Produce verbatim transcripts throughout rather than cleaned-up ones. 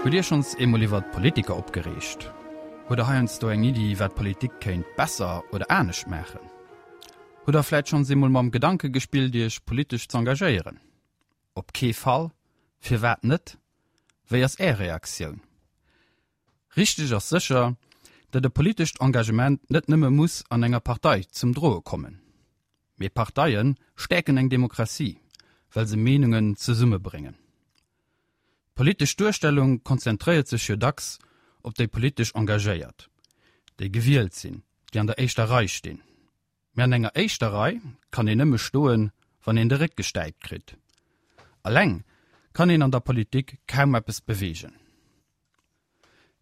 Hutt Dir schonns eemol iwwert Politiker opgereegt? Hutt der heiansdo eng Iddi, wat d'Politik kéint besser oder anescht maachen? Hutt der vläit schonns eemol mam Gedanke gespillt, Iech politesch z'engagéieren? Op kee Fall? Firwat net? Wéi ass Är Reaktioun? Richteg ass sécher, datt e politescht Engagement net nëmme muss an enger Partei zum Droe kommen. Mee Parteie stäerken eng Demokratie, well se Meenungen zesummebréngen. D'politesch Duerstellung konzentréiert sech jo dacks op déi politesch Engagéiert, déi gewielt sinn, déi an der éischter Rei stinn. Mee an enger éischter Rei kann een nëmme stoen, wann een de Réck gestäipt kritt. Alleng kann een an der Politik kaum eppes beweegen.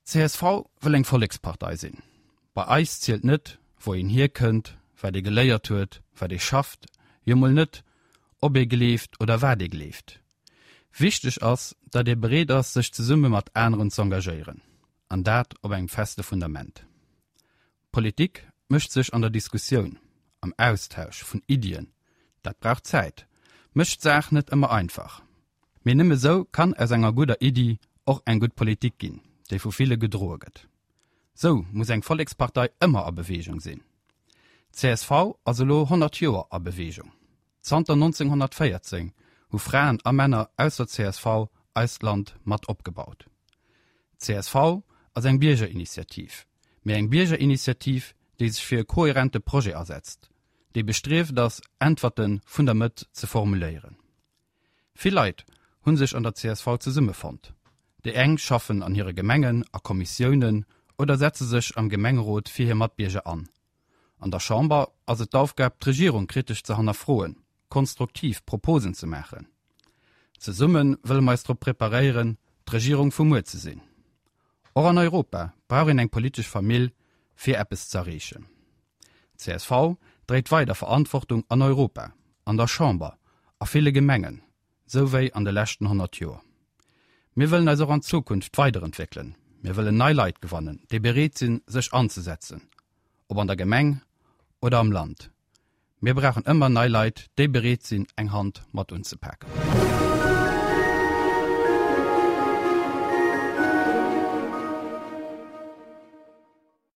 Csv wëll eng Vollekspartei sinn. Bei eis zielt net, wou een hierkënnt, wat ee geléiert huet, wat ee schafft, jo mol net, ob ee gleeft oder wat ee gleeft. Wichteg ass, datt ee bereet ass, sech zesumme mat aneren z'engagéieren, an dat op engem feste Fundament. Politik mécht sech an der Diskussioun, am Austausch vun Iddien, dat brauch Zäit, mécht d'Saach net ëmmer einfach. Mee nëmme sou kann aus enger gudder Iddi och eng gutt Politik ginn, déi vu ville gedroe gëtt. Sou muss eng Vollekspartei ëmmer a Beweegung sinn. Csv ass elo honnert Joer a Beweegung. Zanter nonzénghonnertvéierzéng hu Fraen a Männer aus der csv eist Land mat opgebaut. Csv ass eng Biergerinitiativ, mee eng Biergerinitiativ, déi sech fir e kohärente Projet asetzt, déi bestrieft ass, Äntwerte vun der Mëtt ze formuléieren. Vill Leit hu sech an der csv zesummefonnt. Déi eng schaffen an hire Gemengen a Kommissiounen oder setze sech am Gemengerot fir hir Matbierger an. An der Chamber ass et d'Aufgab, d'Regierung kritesch ze hannerfroen, konstruktiv Proposen ze maachen. Zesumme wëlle mer eis drop preparéieren, d'Regierung vu muer ze sinn. Och an Europa brauch een eng politesch Famill, fir eppes z'erreechen. Csv dréit weider Verantwortung an Europa, an der Chamber, a ville Gemengen, sou wéi an de leschten honnert Joer. Mir wëllen eis och an Zukunft weiderentwéckelen. Mir wëllen nei Leit gewannen, déi bereet sinn, sech anzesetzen, ob an der Gemeng oder am Land. Mir brauchen ëmmer nei Leit, déi bereet sinn, eng Hand mat unzepaken.